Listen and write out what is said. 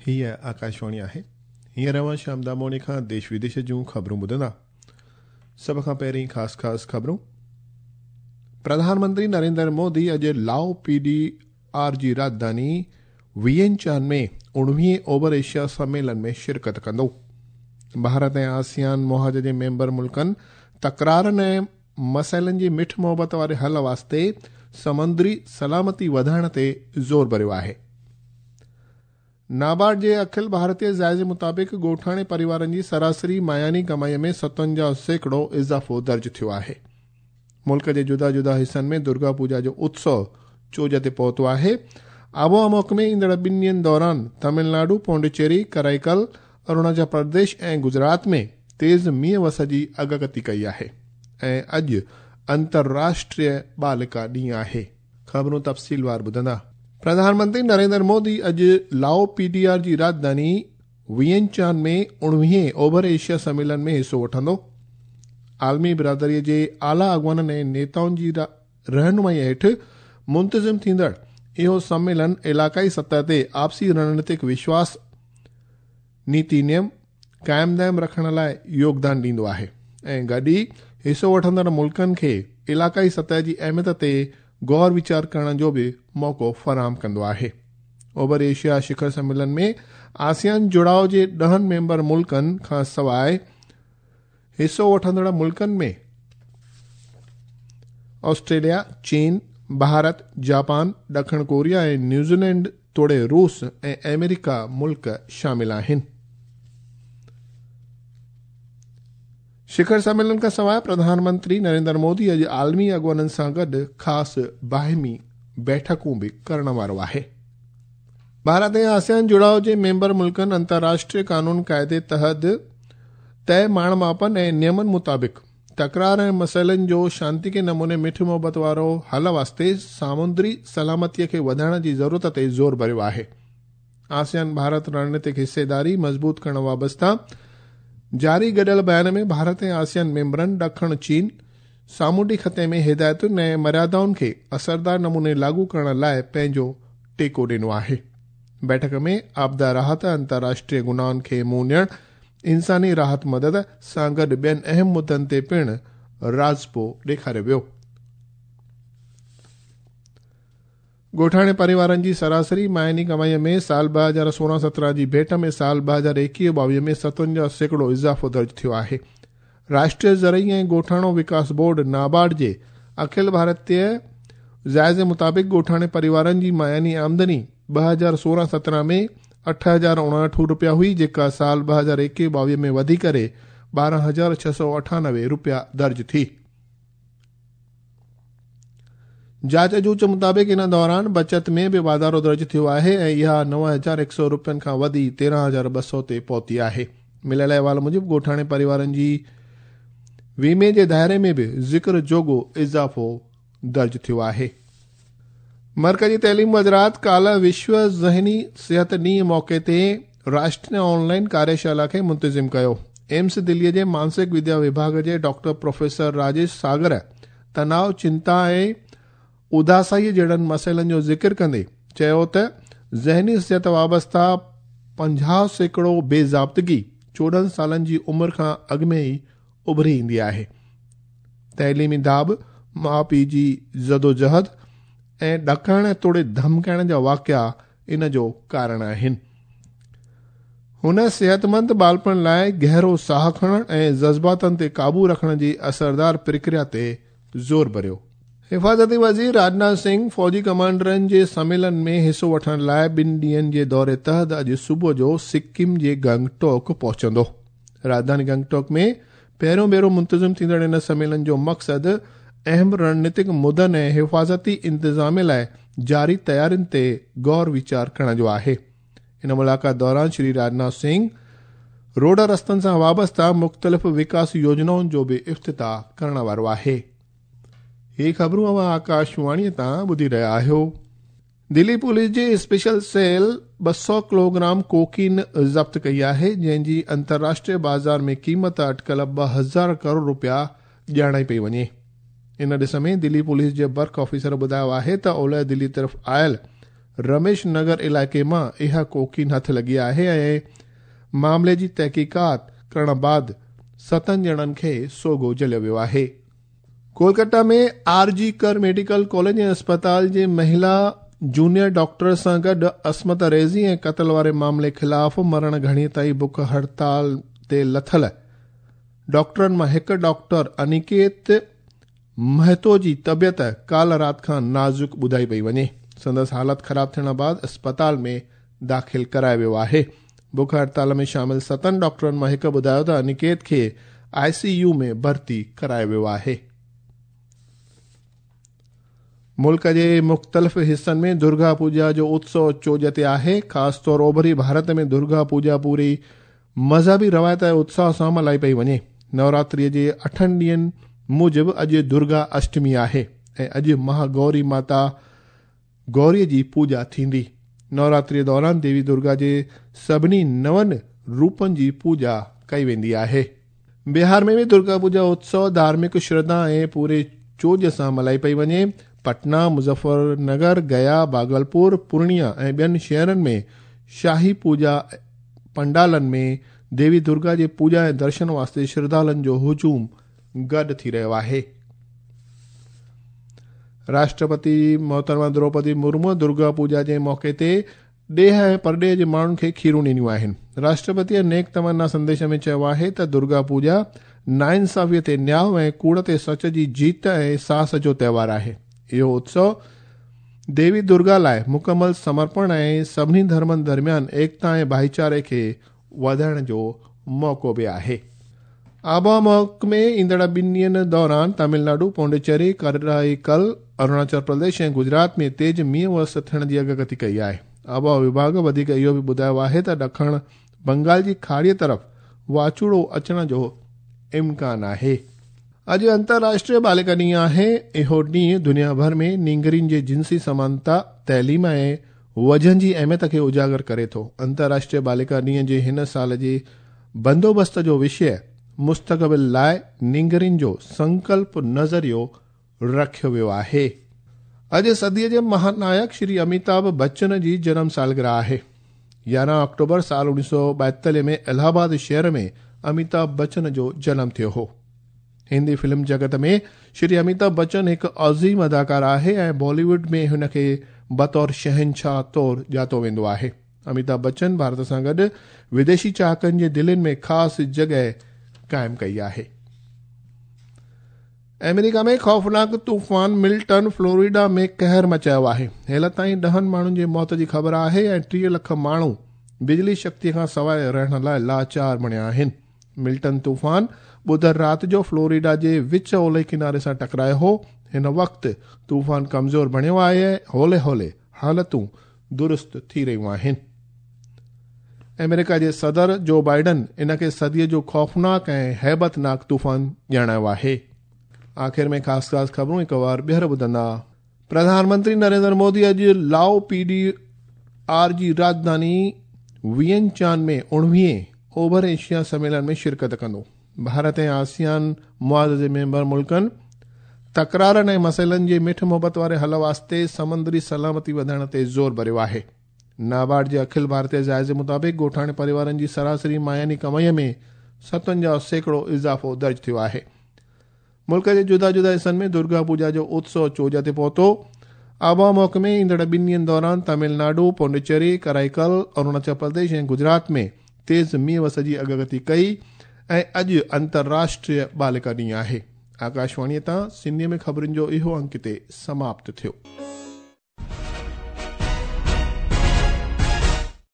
هيء آڪاشواڻي آهي. هينئر اوهان شيام داموڻي کان ديش وديش جون خبرون ٻڌندا. سڀ کان پهرين خاص خاص خبرون. پرڌان منتري نريندر مودي اڄ لائو پي ڊي آر جي راڄڌاني وينچان ۾ اڻويهين اوڀر ايشيا سميلن ۾ شرڪت ڪندو. ڀارت ۽ آسيان محاذ جي ميمبر ملڪن تڪرارن ۽ مسئلن جي مٺ محبت واري حل واسطي سمندري سلامتي وڌائڻ تي زور ڀريو آهي. نابارڊ جي اکل ڀارتيه جائزي مطابق ڳوٺاڻي پريوارن جي سراسري ماهياني ڪمائي ۾ 57% اضافو درج ٿيو آهي. ملڪ جي جدا جدا حصن ۾ درگا پوڄا جو اتسو چوج تي پهتو آهي. آبهوا محڪمي ايندڙ ٻن ڏينهن دوران تامل ناڊو، پونڊيچيري، ڪرائيڪل، اروناچل پرديش ۽ گجرات ۾ تيز مينهن وس جي اڳڪٿي ڪئي آهي ۽ اڄ انترراشٽريه بالڪا ڏينهن آهي. خبرون تفصيلوار ٻڌندا. پرڌان منتري نريندر مودي اڄ لائو پي ڊي آر جي راڄڌاني وينچان ۾ اڻويهين اوڀر ايشيا سميلن ۾ حصو وٺندو. عالمي برادري جي اعليٰ اڳواڻن ۽ نيتائن جي رهنمائي هيٺ منتظم ٿيندڙ اهو سميلن علائقائي سطح تي آپسي رڻنيتڪ وشواس، نيتي نيم قائم دائم رکڻ لاء يوگدان ڏيندو آهي ۽ گڏ ئي حصو وٺندڙ ملڪن کي علائقائي سطح جي اهميت تي غور ويچار ڪرڻ جو به موقعو فراهم ڪندو آهي. اوڀر ايشيا شکر سميلن ۾ آسيان جڙاء جي 10 ميمبر ملڪن کان سواء حصو وٺندڙ ملڪن ۾ آسٽريليا، چين، ڀارت، جاپان، ڏکڻ ڪوريا ۽ نيوزيلينڊ توڙي روس ۽ آمريڪا ملڪ شامل آهن. شکر سميلن کان سواء پرڌان منتري نريندر مودي اڄ عالمي اڳواڻن سان گڏ خاص باهمي بيٺڪون به ڪرڻ وارو آهي. ڀارت ۽ آسيان جڙاء جي ميمبر ملڪن انترراشٽريه قانون قاعدي تحت طئي ماڻ ماپن ۽ نيمن مطابق تڪرار ۽ مسئلن جو شانتيڪي نموني مٺ محبت وارو حل واسطي سامونڊي سلامتي کي وڌائڻ جي ضرورت تي زور ڀريو آهي. آسيان ڀارت رڻنيتڪ حصيداري مضبوط ڪرڻ وابسته جاري گڏيل بيان ۾ ڀارت ۽ آسيان ميمبرن ڏکڻ چين سامونڊي خطي ۾ هدايتن ۽ مريادائن کي اثردار نموني لاڳو ڪرڻ لاء پنهنجو ٽيڪو ڏنو آهي. بيٺڪ ۾ آپدا راحت، انترراشٽريه گناهن کي منهن ڏيڻ، انساني راحت مدد سان گڏ ٻين اهم مدن تي پڻ راضپو ڏيکاريو ويو. ڳوٺاڻي پريوارن جي سراسري ماهياني ڪمائي ۾ سال 2016-17 جي ڀيٽ ۾ سال 2021-22 ۾ 57% اضافو درج ٿيو آهي. راشٽريه زرعي ۽ ڳوٺاڻو وڪاس بورڊ نابارڊ جي اکل ڀارتيه جائزي مطابق ڳوٺاڻي پريوارن جي ماهياني آمدني 2016-17 ۾ 8059 رپيا هئي، جيڪا سال 2021-22 ۾ وڌي ڪري 12698 رپيا درج ٿي. جاچ جوچ مطابق ان دوران بچت ۾ به واڌارو درج ٿيو آهي ۽ اها 9100 رپين کان وڌي 13200 تي پهتي آهي. مليل احوال موجب ڳوٺاڻي پريوارن جي ويمي جي دائري ۾ به ذڪر جوڳو اضافو درج ٿيو آهي. مرڪزي تعليم وزارت ڪالهه وشو ذهني صحت ڏينهن موقعي تي راشٽريه آن لائن ڪاريشالا کي منتظم ڪيو. ايمس دلي جي مانسڪ وديا وڀاڳ جي ڊاڪٽر پروفيسر راجيش ساگر تناء، چنتا ۽ اداسائي جهڙن مسئلن جو ذڪر ڪندي چيو ته ذهني صحت وابسته 50% بي ضابطگي 14 سالن جي عمر کان اڳ ۾ ئي اڀري ايندي آهي. تعليمي داٻ، ماء پيء جي جدوجهد ۽ ڏڪائڻ توڙي ڌمڪائڻ جا واقعا ان جو ڪارڻ آهن. هن صحتمند ٻالپڻ لاء گهرو ساهه کڻڻ ۽ جذباتن تي قابو رکڻ جي اثردار پرڪريا تي زور ڀريو. حفاظتي وزير راجناٿ سنگهه فوجي ڪمانڊرن جي سميلن ۾ حصو وٺڻ لاء ٻن ڏينهن جي دوري تحت اڄ صبح جو سڪم جي گنگٽوڪ پهچندو. راڄڌاني گنگٽوڪ ۾ پهريون ڀيرو منتظم ٿيندڙ ان سميلن جو مقصد اهم رڻنيتڪ مدن ۽ حفاظتي انتظامي لاء جاري تيارين تي غور ويچار ڪرڻ جو آهي. ان ملاقات دوران شري راجناٿ سنگهه روڊ رستن سان وابسته مختلف وڪاس يوجنائن جو به افتتاح ڪرڻ وارو آهي. هي خبرون اوهان آڪاشواڻي تان ٻڌي رهيا آهيو. دلي پوليس جي اسپيشل سيل 200 ڪلوگرام ڪوڪين ضبط ڪئي آهي، جنهن جي انترراشٽريه بازار ۾ قيمت اٽڪل 2000 ڪروڙ رپيا ڄاڻائي پئي وڃي. ان ڏس ۾ دلي پوليس جي برک آفيسر ٻڌايو آهي ته اولهه دلي طرف آيل رميش نگر علائقي مان اها ڪوڪين هٿ لڳي آهي ۽ معاملي جي تحقيقات ڪرڻ بعد ستن ڄڻن کي سوگهو جهليو ويو آهي. Kolkata ۾ R G Kar medical college ۽ اسپتال جي مهلا جونيئر ڊاڪٽر سان گڏ عصمت ريزي ۽ قتل واري معاملي خلاف مرڻ گهڙي تائين بک هڙتال تي لٿل ڊاڪٽرن مان هڪ ڊاڪٽر انيڪيت مهتو جي طبيعت ڪالهه رات کان نازڪ ٻڌائي پئي وڃي. سندس حالت خراب ٿيڻ بعد اسپتال ۾ داخل ڪرايو ويو آهي. بک هڙتال ۾ شامل ستن ڊاڪٽرن مان هڪ ٻڌايو ته انيڪيت کي آء سي يو ۾ ڀرتي ڪرايو ويو آهي. ملڪ جي مختلف حصن ۾ درگا پوڄا جو اتسو چوڄ تي آهي. خاص طور اوڀري ڀارت ۾ درگا پوڄا پوري مذهبي روايت ۽ اتساهه سان ملهائي پئي وڃي. نوراتريء جي اٺن ڏينهن موجب اڄ درگا اشٽمي آهي ۽ اڄ مها گوري ماتا گوريء جي پوڄا ٿيندي. نوراتريء دوران ديوي درگا جي سڀني نون روپن جي پوڄا ڪئي ويندي آهي. بهار ۾ به درگا پوڄا اتسو ڌارمڪ شرڌا ۽ پوري چوڄ سان ملهائي پئي وڃي. پٽنا، مظفر نگر، گيا، ڀاگلپور، پورڻيا ۽ ٻين شهرن ۾ شاهي پوڄا پنڊالن ۾ ديوي درگا جي پوڄا ۽ درشن واسطي شرڌالن جو هجوم گڏ ٿي رهيو آهي. راشٽرپتي محترمه دروپدي مرمو درگا پوڄا جي موقعي تي ڏيهه ۽ پرڏيهه جي ماڻهن کي کيرون ڏنيون آهن. راشٽرپتيء نيڪ تمنا سنديش ۾ چيو آهي ته درگا پوڄا ناانصافيء تي نياء ۽ ڪوڙ تي سچ جي جيت ۽ ساهس جو تهوار آهي. اهو اتسو ديوي درگا لاء مڪمل سمرپڻ ۽ سڀني ڌرمن درميان ايڪتا ۽ ڀائيچاري کي وڌائڻ جو موقعو به آهي. آبهوا محڪمي ايندڙ ٻن ڏينهن دوران تامل ناڊو، پونڊيچيري، ڪرائيڪل، اروناچل پرديش ۽ گجرات ۾ تيز مينهن وس ٿيڻ جي اڳڪٿي ڪئي آهي. آبهوا وڀاڳ وڌيڪ اهو به ٻڌايو آهي ته ڏکڻ بنگال جي کاڙيء طرف واچوڙو اچڻ جو امڪان آهي. اڄ انترراشٽريه بالڪا ڏينهن آهي. اهو ڏينهن دنيا ڀر ۾ نينگرين جي جنسي سمانتا، تعليم ۽ وجهن جي اهميت کي اجاگر ڪري ٿو. انترراشٽريه بالڪا ڏينهن جي هن سال جي بندوبست جو وشيه مستقبل لاء نينگرين جو سنڪلپ نظريو رکيو ويو آهي. اڄ صديء جي مهانائڪ شري اميتاڀ بچن جي جنم سالگرهه آهي. 11 آڪٽوبر سال 1942 ۾ الهه آباد شهر ۾ اميتاڀ بچن جو جنم ٿيو هو. هندي فلم جڳت ۾ شري اميتاڀ بچن هڪ عظيم اداڪار آهي ۽ بالي ووڊ ۾ هن کي بطور شهنشاهه طور ڄاتو ويندو آهي. اميتاڀ بچن ڀارت سان گڏ وديشي چاهڪن جي دلين ۾ خاص جڳهه قائم ڪئي آهي. آمريڪا ۾ خوفناڪ طوفان ملٽن فلوريڊا ۾ قهر مچايو آهي. هيل تائين ڏهن ماڻهن جي موت جي خبر آهي ۽ 30 لک ماڻهو بجلي شڪتي کان سواء رهڻ لاء لاچار بڻيا آهن. ملٽن طوفان ٻڌر رات جو فلوريڊا جي وچ اولهي ڪناري سان ٽڪرايو هو. هن وقت طوفان ڪمزور بڻيو آهي ۽ هولي هولي حالتون درست ٿي رهيون آهن. آمريڪا جي صدر جو بائيڊن ان کي صديء جو خوفناڪ ۽ هيبتناڪ طوفان ڄاڻايو آهي. آخر ۾ خاص خاص خبرون هڪ وار ٻيهر ٻڌندا. پرڌان منتري نريندر مودي اڄ لائو پي ڊي آر جي راڄڌاني وينچان ۾ 19 اوڀر ايشيا سميلن ۾ شرڪت ڪندو. ڀارت ۽ آسيان معاهدي جي ميمبر ملڪن تڪرارن ۽ مسئلن جي مٺ محبت واري حل واسطي سمندري سلامتي وڌائڻ تي زور ڀريو آهي. نابارڊ جي اکل ڀارتيه جائزي مطابق ڳوٺاڻي پريوارن جي سراسري ماهياني ڪمائي ۾ 57% اضافو درج ٿيو آهي. ملڪ جي جدا جدا حصن ۾ درگا پوڄا جو اتسو چوڄ تي پهتو. آبهوا محڪمي ايندڙ ٻن ڏينهن دوران تامل ناڊو، پونڊيچيري، ڪرائيڪل، اروناچل پرديش ۽ گجرات ۾ تيز مينهن وس جي اڳڪٿي ڪئي ۽ اڄ انترراشٽريه بالڪا ڏينهن آهي. آڪاشواڻيء تان سنڌيء ۾ خبرن جو اهو انڪ هتي سماپت ٿيو.